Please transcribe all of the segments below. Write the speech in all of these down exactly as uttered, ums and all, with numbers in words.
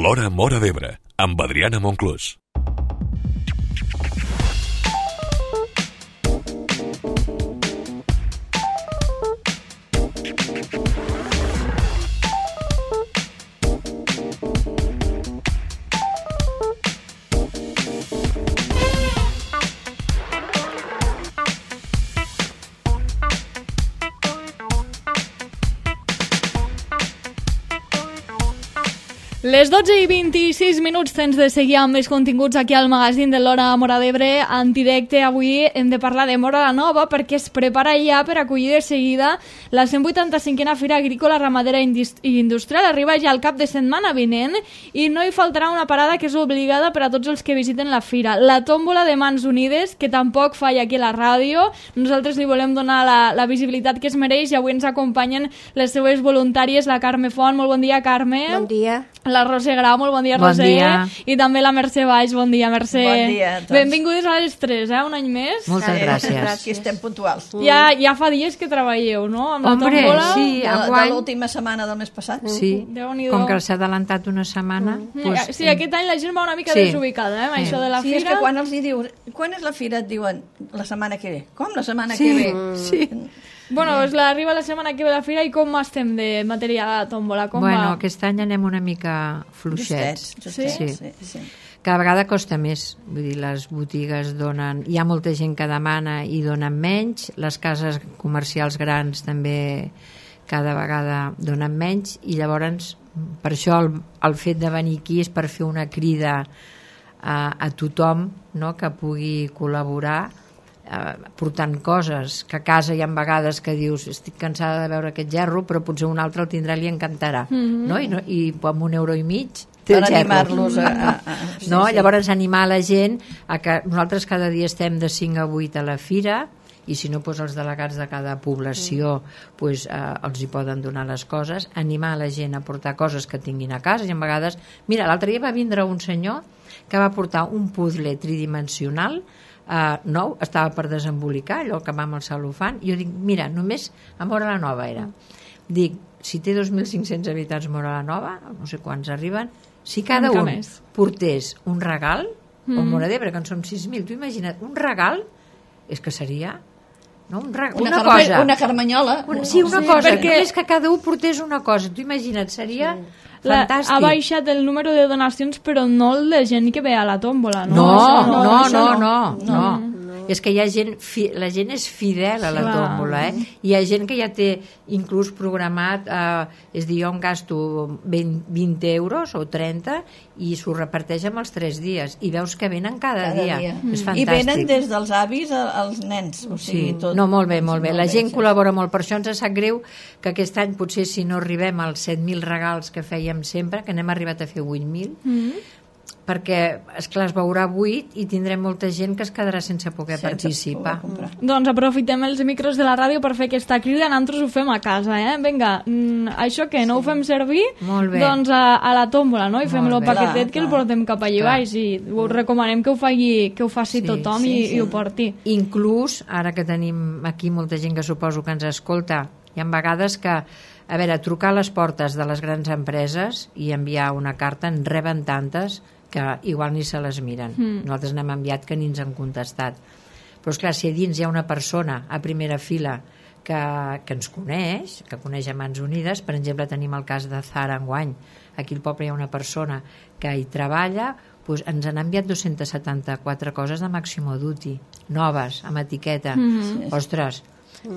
L'Hora Móra d'Ebre, amb Adriana Monclús. Les dotze i vint-i-sis minuts tens de seguir amb més continguts aquí al magazín de l'Hora Móra d'Ebre en directe. Avui hem de parlar de Móra la Nova perquè es prepara ja per acollir de seguida la cent vuitanta-cinquena Fira Agrícola, Ramadera i Industrial. Arriba ja el cap de setmana vinent i no hi faltarà una parada que és obligada per a tots els que visiten la fira. La tòmbola de Mans Unides, que tampoc falla aquí a la ràdio. Nosaltres li volem donar la, la visibilitat que es mereix i avui ens acompanyen les seues voluntàries, la Carme Font. Molt bon dia, Carme. Bon dia. La Roser Grau, molt bon dia, bon Roser. Dia. I també la Mercè Baix, bon dia, Mercè. Bon dia a tots. Benvingudes a les tres, eh? Un any més. Moltes sí, gràcies. Aquí estem puntuals. Ja, ja fa dies que treballeu, no? Amb Hombre, la tòmbola. sí, De, enguany... de l'última setmana del mes passat. Sí, Déu-n'hi-do. com que s'ha adelantat una setmana... Mm. Doncs, Sí, aquest any la gent va una mica sí. desubicada, eh? Amb Sí. això de la Sí, fira. és que quan els hi dius, quan és la fira, et diuen la setmana que ve. Com la setmana Sí, que ve? sí. Bueno, doncs la, arriba la setmana que ve la fira i com estem de material a la tòmbola? Com Bueno, va? aquest any anem una mica fluixets. Justets, justets, Sí. sí, sí. Cada vegada costa més. Vull dir, les botigues donen... Hi ha molta gent que demana i donen menys. Les cases comercials grans també cada vegada donen menys i llavors per això el, el fet de venir aquí és per fer una crida a, a tothom, no?, que pugui col·laborar eh, portant coses, que a casa hi ha vegades que dius estic cansada de veure aquest gerro però potser un altre el tindrà i li encantarà, Mhm. no? I, no, i amb un euro i mig té Per el gerro. animar-los a... a, a sí, No? sí. Llavors animar la gent a que nosaltres cada dia estem de cinc a vuit a la fira i si no, doncs els delegats de cada població doncs, eh, els hi poden donar les coses, animar la gent a portar coses que tinguin a casa i a vegades, mira, l'altre dia va vindre un senyor que va portar un puzzle tridimensional eh, nou, estava per desembolicar allò que va amb el cel·lofan i jo dic, mira, només a Móra la Nova era dic, si té dos mil cinc-cents habitants Móra la Nova, no sé quants arriben, si cada Una mica un més. portés un regal Mm. o Móra d'Ebre, que en som sis mil, tu imagina't, un regal és que seria no? un regal, Una, una, carme, cosa una carmanyola. una, sí, una Sí, cosa, perquè- només que cada un portés una cosa, tu imagina't, seria La, fantàstic. ha baixat el número de donacions però no el de gent que ve a la tòmbola, no? no, Això no, no, això no, no. no, no. És que hi ha gent, fi, la gent és fidel a la Clar. tòmbola, eh? Hi ha gent que ja té inclús programat, eh, és dir, jo em gasto vint, vint euros o trenta i s'ho reparteix amb els tres dies i veus que venen cada, Cada dia. dia. És I fantàstic. venen des dels avis a- als nens. O sigui, Sí, tot... no, molt bé, molt bé. La gent sí. col·labora molt, per això ens sap greu que aquest any potser si no arribem als set mil regals que fèiem sempre, que n'hem arribat a fer vuit mil, Mm. perquè, esclar, es veurà buit i tindrem molta gent que es quedarà sense poder Sense participar. poder comprar. Doncs aprofitem els micros de la ràdio per fer aquesta crida, nosaltres ho fem a casa, eh? Vinga, mm, això que no ho fem servir, Molt bé. doncs a, a la tòmbola, no? I fem el bé. paquetet Clar, que el clar. portem cap allà Clar. baix i us recomanem que ho, faci, que ho faci Sí, tothom sí, i, sí. i ho porti. Inclús, ara que tenim aquí molta gent que suposo que ens escolta, hi ha vegades que, a veure, trucar a les portes de les grans empreses i enviar una carta, en reben tantes que igual ni se les miren. Mm. Nosaltres n'hem enviat que ni ens han contestat. Però, esclar, si a dins hi ha una persona a primera fila que, que ens coneix, que coneix a Mans Unides, per exemple, tenim el cas de Zara enguany. Aquí al poble hi ha una persona que hi treballa, doncs ens han enviat dos-centes setanta-quatre coses de Maximo Duty, noves, amb etiqueta. Mhm. Ostres,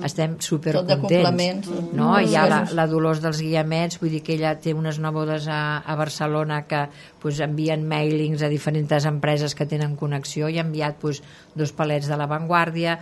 estem Tot de supercontents. complements. No? Moltes Hi ha la, coses. la Dolors dels Guiamets, vull dir que ella té unes nebodes a, a Barcelona que pues, envien mailings a diferents empreses que tenen connexió i ha enviat pues, dos palets de l'avantguàrdia.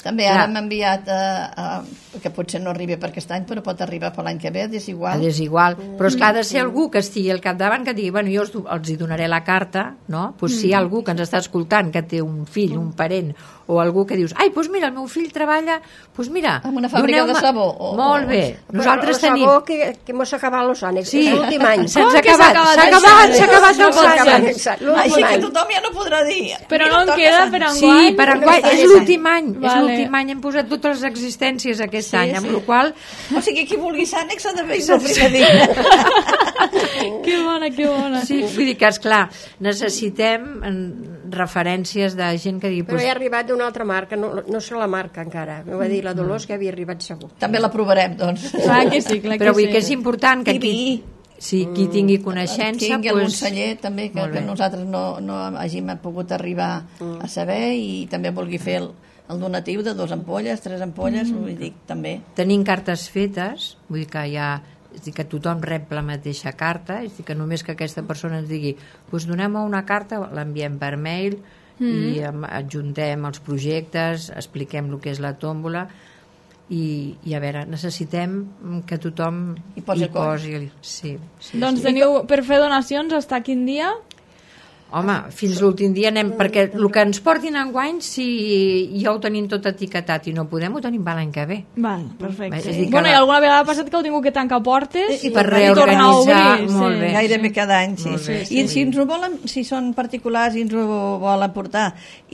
També Clar. ara m'ha enviat, a, a, que potser no arribi per aquest any, però pot arribar per l'any que ve, és igual. És igual, però és que ha de ser algú que estigui al capdavant que digui, bueno, jo els, els hi donaré la carta, no? Pues si hi ha algú que ens està escoltant que té un fill, un parent o algú que dius, ai, doncs mira, el meu fill treballa, doncs mira... En una fàbrica de doneu-me- sabó, o- Molt bé. Nosaltres Però el tenim... sabó que, que mos ha acabat los ànecs. Sí. És l'últim any. Se'ns Com ha que s'ha acabat, acabat s'ha això? acabat, s'ha acabat No els pot ser. ànecs. Exacte, Així l'últim que any. tothom ja no podrà dir. Però Mira, no en toca queda Sant- per Sí, enguany. per enguany, és l'últim any, és Vale. l'últim any hem posat totes les existències aquest any, amb la qual O sigui, qui vulgui ser ànex ha de venir el primer dia. Que bona, que bona. sí, vull dir que, esclar, necessitem mm, referències de gent que digui... Però Pues, he arribat d'una altra marca, no, no sé la marca encara. M'ho va dir la Dolors que havia arribat segur. També la provarem, doncs. Clar que sí, clar que però vull sí. dir que és important que I qui, vi. sí, qui tingui coneixença... Tingui algun pues, celler també que, molt bé. que nosaltres no, no hàgim pogut arribar a saber i també vulgui fer el, el donatiu de dos ampolles, tres ampolles, vull dir, també. Tenim cartes fetes, vull dir que hi ha... És dir, que tothom rep la mateixa carta, és dir, que només que aquesta persona ens digui pues donem una carta, l'enviem per mail i em- adjuntem els projectes, expliquem el que és la tòmbola i, i a veure, necessitem que tothom Hi posi el cor. el... Sí, sí, Doncs sí. teniu per fer donacions hasta quin dia? Home, fins l'últim dia anem, perquè el que ens portin enguany, si ja ho tenim tot etiquetat i no podem, ho tenim per l'any que ve. Val, perfecte. És a dir, que Bueno, la- i alguna vegada ha passat que heu tingut que tancar portes I i, per i tornar a reorganitzar, obrir. molt sí. bé. Gairebé cada any, sí. Molt bé, I si ens ho volen, si són particulars i ens ho volen portar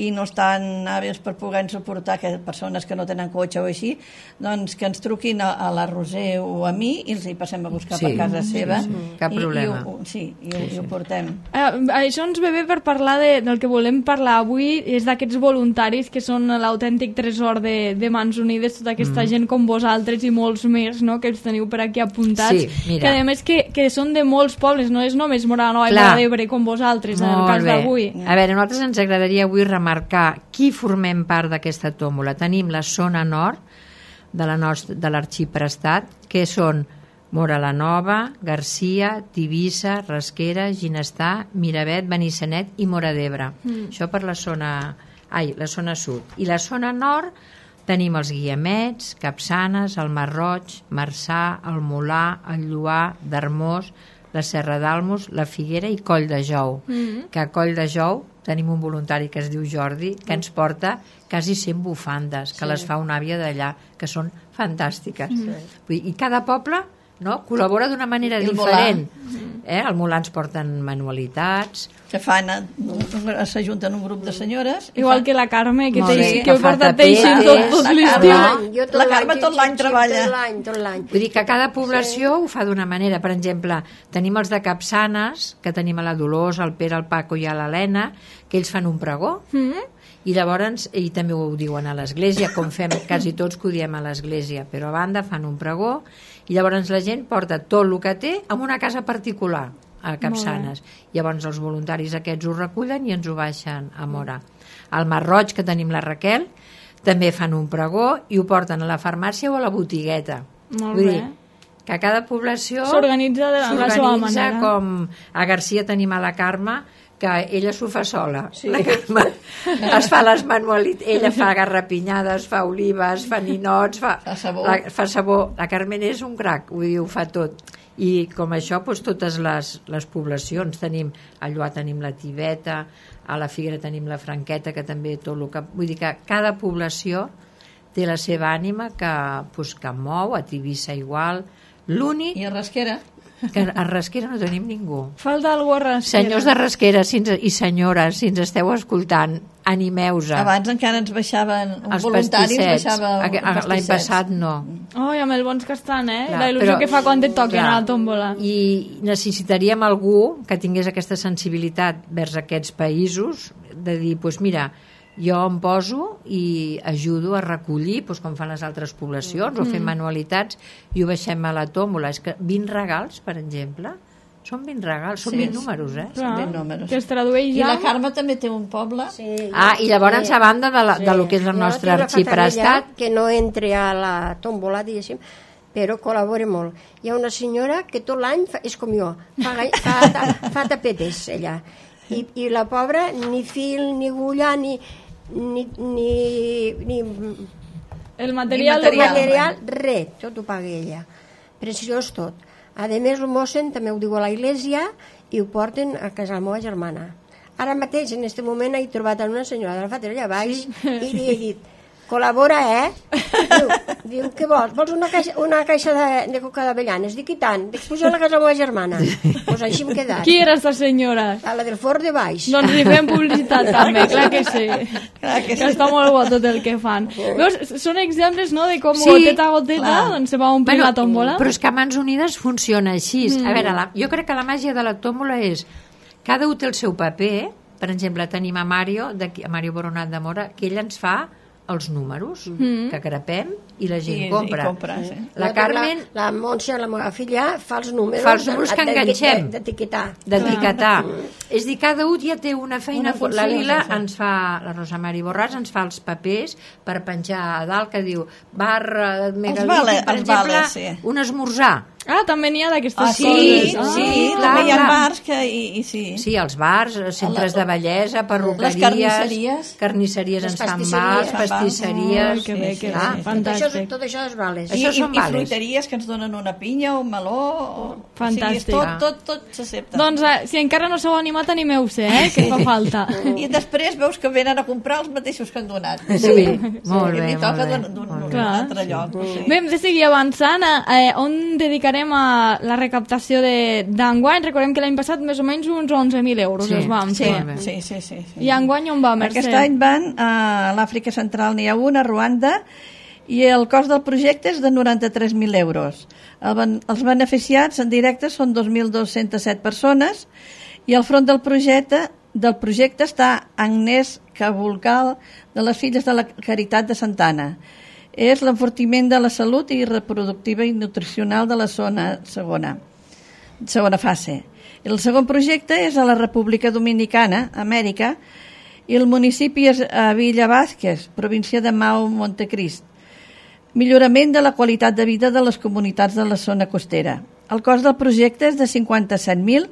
i no estan hàbils per poder-nos portar, que persones que no tenen cotxe o així, doncs que ens truquin a, a la Roser o a mi i els hi passem a buscar Sí, per casa seva. sí, sí. Cap I, problema. I ho, sí, i ho, i ho portem. Eh, això ens ve bé per parlar de, del que volem parlar avui, és d'aquests voluntaris que són l'autèntic tresor de, de Mans Unides, tota aquesta mm. gent com vosaltres i molts més, no?, que els teniu per aquí apuntats, Sí, mira. que a més que, que són de molts pobles, no és només Móra la Nova i Clar. Móra d'Ebre com vosaltres, en el Molt cas bé. d'avui. A veure, a nosaltres ens agradaria avui remarcar qui formem part d'aquesta tòmbola. Tenim la zona nord de la nostra, de l'Arxiprestat, que són Móra la Nova, Garcia, Tivissa, Rasquera, Ginestar, Miravet, Benissanet i Móra d'Ebre. Mm. Això per la zona, ai, la zona sud. I la zona nord tenim els Guiamets, Capçanes, el Marroig, Marçà, el Molà, el Lloar, Darmós, la Serra d'Almos, la Figuera i Coll de Jou. Mm. Que a Coll de Jou tenim un voluntari que es diu Jordi, que ens porta quasi cent bufandes, que sí. les fa una àvia d'allà, que són fantàstiques. Mm. Vull dir, i cada poble, no?, col·labora d'una manera El diferent. Eh? Al Molà ens porten manualitats. Que fan, eh, s'ajunten un grup de senyores. i Igual fan- que la Carme, que, Molt teix, bé, que que ho fa porta tapetes, teixint tot, tot la l'estiu. Carme. Jo tot La l'any, Carme tot l'any xip, xip, treballa. Tot l'any, tot l'any. Vull dir que cada població sí. ho fa d'una manera. Per exemple, tenim els de Capçanes, que tenim a la Dolors, el Pere, el Paco i a l'Helena, que ells fan un pregó, Mm? i llavors, i també ho diuen a l'església, com fem quasi tots que ho diem a l'església, però a banda fan un pregó, i llavors la gent porta tot el que té en una casa particular, a Capçanes. Llavors els voluntaris aquests ho recullen i ens ho baixen a Móra. Al Marroig, que tenim la Raquel, també fan un pregó i ho porten a la farmàcia o a la botigueta. Molt Vull bé. dir, que a cada població S'organitza de la seva s'organitza manera. com a Garcia tenim a la Carme, que ella s'ho fa sola. Sí. La Carme es fa les manualitats, ella fa garrapinyades, fa olives, fa ninots, fa, Fa sabó. La, fa sabó. La Carmen és un crac, vull dir, ho fa tot. I com això, doncs, totes les, les poblacions tenim, a Lloar tenim la Tibeta, a la Figuera tenim la Franqueta, que també tot el que... Vull dir que cada població té la seva ànima que, doncs, que mou, a Tivissa igual. L'únic I a Rasquera. que a Rasquera no tenim ningú. Falta algú a Rasquera. Senyors de Rasquera si ens, i senyores, si ens esteu escoltant, animeu-se. Abans encara ens baixaven un Els voluntari, ens pastissets. baixava Aqu- un L'any pastissets. passat no. Oh, i amb el bons que estan, eh? Clar, la il·lusió però- que fa quan et toquen clar. a la tòmbola. I necessitaríem algú que tingués aquesta sensibilitat vers aquests països, de dir, doncs mira, jo em poso i ajudo a recollir, doncs com fan les altres poblacions, o fem manualitats i ho baixem a la tòmbola. És que vint regals, per exemple, són vint regals, són Sí. vint números, eh? Clar, ben números. que es tradueix I ja... la Carme també té un poble. Sí, Ah, i llavors a banda de, la, de lo que és el Jo nostre tinc la arxiprestat, fatalitat que no entre a la tòmbola, diguéssim, però col·labora molt. Hi ha una senyora que tot l'any fa, és com jo, fa, gai- fa, ta- fa tapetes, ella. I, I la pobra, ni fil, ni agulla, ni, ni, ni, ni El material... Ni material. material, res, tot ho paga ella. Preciós tot. A més, el mossen també ho diu a la iglesia i ho porten a casa de la meva germana. Ara mateix, en aquest moment, he trobat una senyora de la Fatera allà baix sí. i li he dit, col·labora, eh? Diu, diu què vols? Vols una caixa, una caixa de, de coca d'avellanes? Dic, i tant. Dic, puja a la casa de la meva germana. Doncs pues així hem quedat. Qui era esta senyora? A la del forn de baix. Doncs li fem publicitat també, clar que sí. Clar que sí. Que està molt bo tot el que fan. Veus, són exemples, no?, de com Sí, goteta a goteta clar. doncs se va omplir la tòmbola. Però és que a Mans Unides funciona així. Mm. A veure, la, jo crec que la màgia de la tòmbola és cada un té el seu paper. Per exemple, tenim a Mario, d'aquí, a Mario Boronat de Mora, que ell ens fa els números mm. que crepem i la gent I, compra. I compra sí. La Carmen... La, la Montse, la meva filla, fa els números... Fa els números que enganxem. D'etiquetar. D'etiquetar. És dir, cada un ja té una feina... Una funció, la Lila sí, sí. ens fa, la Rosa Mari Borràs ens fa els papers per penjar a dalt que diu barra, megalític, vale, per els exemple, vales, sí. un esmorzar. Ah, també n'hi ha d'aquestes Ah, coses. sí, Ah. sí, clar, també hi ha clar. bars que... I, i sí. Sí, els bars, centres de bellesa, perruqueries... Les carnisseries. Carnisseries ens Les fan pastisseries. vals, pastisseries... Ai, que bé, que clar. bé, Tot això, fantàstic. tot això és vales. I, Això i, són i vales. fruiteries que ens donen una pinya, un meló... O, Fantàstic. O sigui, tot, tot, tot s'accepta. Doncs eh, si encara no s'heu animat, animeu-se, eh, que fa falta. I després veus que venen a comprar els mateixos que han donat. Sí, molt bé, I toca molt bé, d'un- d'un molt d'un bé. altre lloc. Sí. Bé, hem de seguir avançant. Eh, on dedicarem a la recaptació de- d'enguany? Recordem que l'any passat més o menys uns onze mil euros Sí, es vam Sí, fer. Molt bé. sí, sí, sí, sí. I enguany on va, Mercè? Aquest any van a l'Àfrica Central, n'hi ha un, a Ruanda, i el cost del projecte és de noranta-tres mil euros. El ben, els beneficiats en directe són dos mil dos-cents set persones i al front del projecte del projecte està Agnès Cabulcal de les Filles de la Caritat de Santana. És l'enfortiment de la salut i reproductiva i nutricional de la zona segona, segona fase. El segon projecte és a la República Dominicana, Amèrica, i el municipi és a Villa Vázquez, província de Mau Montecrist. Millorament de la qualitat de vida de les comunitats de la zona costera. El cost del projecte és de cinquanta-set mil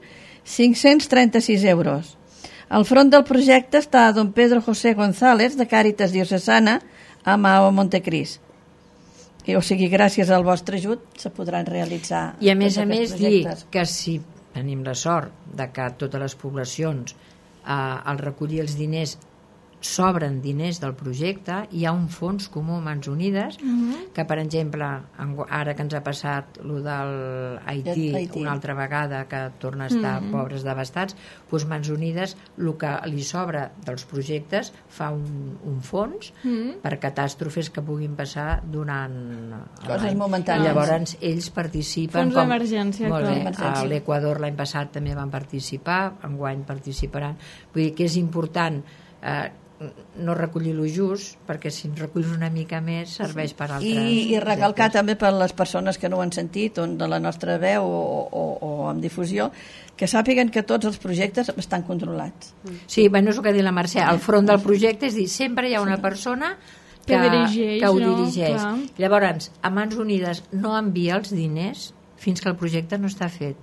cinc-cents trenta-sis euros. Al front del projecte està don Pedro José González, de Càritas Diocesana, a Mau Montecrist. I, o sigui, gràcies al vostre ajut se podran realitzar I a més tots a més aquests dir projectes. que si tenim la sort de que totes les poblacions eh, al recollir els diners sobren diners del projecte, hi ha un fons comú Mans Unides Mhm. que, per exemple, ara que ens ha passat lo del Haití, Haití. una altra vegada que torna a estar Mhm. pobres devastats, doncs Mans Unides el que li sobra dels projectes fa un, un fons Mhm. per catàstrofes que puguin passar durant Coses l'any. momentànies. I llavors ells participen Fons d'emergència, molt clar. bé, Emergència. a l'Equador l'any passat també van participar, enguany participaran, vull dir que és important eh, no recollir-lo just, perquè si en reculls una mica més serveix per altres I, i recalcar projectes. també per les persones que no ho han sentit on de la nostra veu o, o, o amb difusió, que sàpiguen que tots els projectes estan controlats. Sí, bueno, és el que ha dit la Mercè, al front del projecte, és dir, sempre hi ha una persona que, Que dirigeix, que ho no? dirigeix. Clar. Llavors, a Mans Unides no envia els diners fins que el projecte no està fet,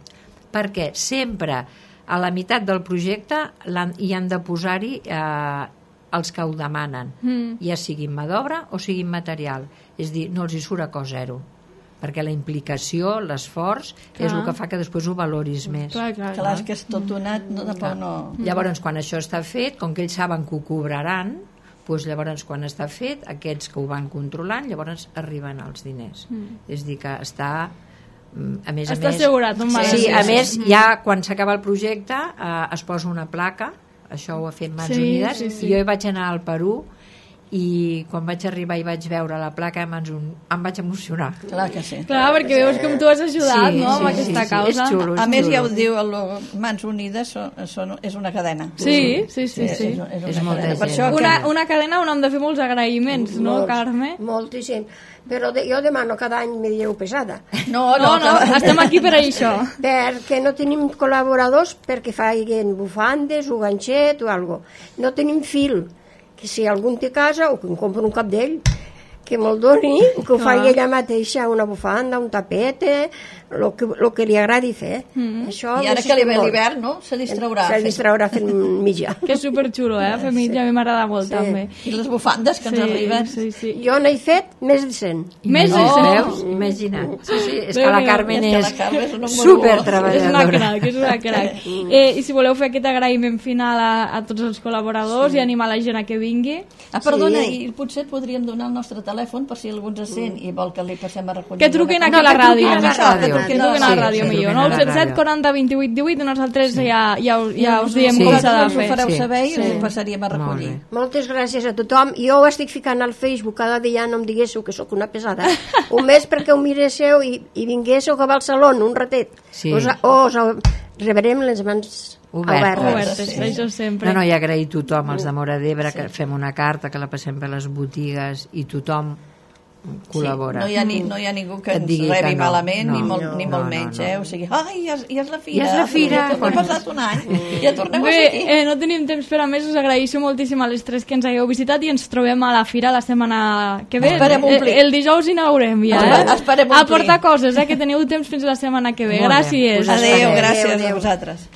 perquè sempre a la meitat del projecte l'han- hi han de posar-hi eh, els que ho demanen, Mm. ja siguin mà d'obra o siguin material, és dir, no els hi surt a cost zero, perquè la implicació, l'esforç és Clar. el que fa que després ho valoris més. Clar, clar, Clar, és que és tot donat, no, tampoc no... Llavors, quan això està fet, com que ells saben que ho cobraran, doncs llavors, quan està fet, aquests que ho van controlant, llavors arriben els diners. Mm. És dir, que està... mm, A més Està a més, assegurat, un sí, magatzem. sí, a més, Mm. ja quan s'acaba el projecte eh, es posa una placa, això ho ha fet Mans Sí, Unides, sí, sí. i jo hi vaig anar al Perú i quan vaig arribar i vaig veure la placa de Mans Un... em vaig emocionar. Clar que sí. Clar, perquè veus com tu has ajudat, Sí, no?, amb sí, aquesta sí, causa. és xulo, A més, xulo. ja ho diu, el Mans Unides són, són, és una cadena. Sí, sí, sí, sí. És, és, És una molta cadena. Per gent. això que... Una, una cadena on hem de fer molts agraïments, no, Molts, Carme? Moltíssim. Però de, jo demano cada any me dieu pesada. No, No, no, que- estem aquí per això. Perquè no tenim col·laboradors perquè facin bufandes o ganxet o algo. No tenim fil. Que si algun té casa o que em compra un capdell, que me'l doni, que ho Clar. faci ella mateixa, una bufanda, un tapete, el que, lo que li agradi fer. Mm. Això I ara que li ve l'hivern, no? Se distraurà. Se distraurà fent mitja. Que és superxulo, eh? Fer mitja, a mi m'agrada molt, Sí. també. I les bufandes que ens arriben. Sí, sí. Jo n'he fet més de cent. Més de Oh, cent. veus? Imagina't. Sí, sí, és que Déu la meu. Carmen És que és la Carme és una super morbosa. És una treballadora. crac, és una crac. Eh, I si voleu fer aquest agraïment final a, a tots els col·laboradors sí. i animar la gent a que vingui... Ah, perdona, Sí. i potser et podríem donar el nostre telèfon per si algú ens sent i vol que li passem a recollir. Que truquin aquí No, a la que truquin ràdio. a la Això, que ràdio. truquin Que a truquin la a la Sí, ràdio sí, millor. truquin a nou la set set ràdio. quaranta vint-i-vuit divuit i nosaltres ja, ja, us- ja us diem Sí. com s'ha de Us ho fer. fareu Sí. saber i Sí. us ho passaríem a Molt recollir. bé. Moltes gràcies a tothom. Jo ho estic ficant al Facebook cada dia, no em diguéssiu que sóc una pesada. Un mes perquè ho miréssiu i, i vinguéssiu a Barcelona un ratet. Sí. Us, o us rebrem les mans Obertes. obertes. Obertes, això sempre. No, no, i agrair a tothom, els de Móra d'Ebre, que fem una carta, que la passem per les botigues i tothom col·labora. Sí, no, hi ha ni, no hi ha ningú que Et ens digui rebi que no. malament, No, ni molt, no, ni molt no, menys, no, no. eh? O sigui, ai, ja és, ja és la fira. Ja és la fira. Ja torna- ha passat un any. Ja torneu a Bé, ser aquí. eh, no tenim temps per a més, us agraeixo moltíssim a les tres que ens hagueu visitat i ens trobem a la fira la setmana que ve. Esperem el, omplir. el dijous inaugurem ja, Espe- eh? esperem A omplir. portar coses, eh? Que teniu temps fins la setmana que ve. Molt bé. Gràcies. Us Adéu, Adéu, gràcies adéu. a vosaltres.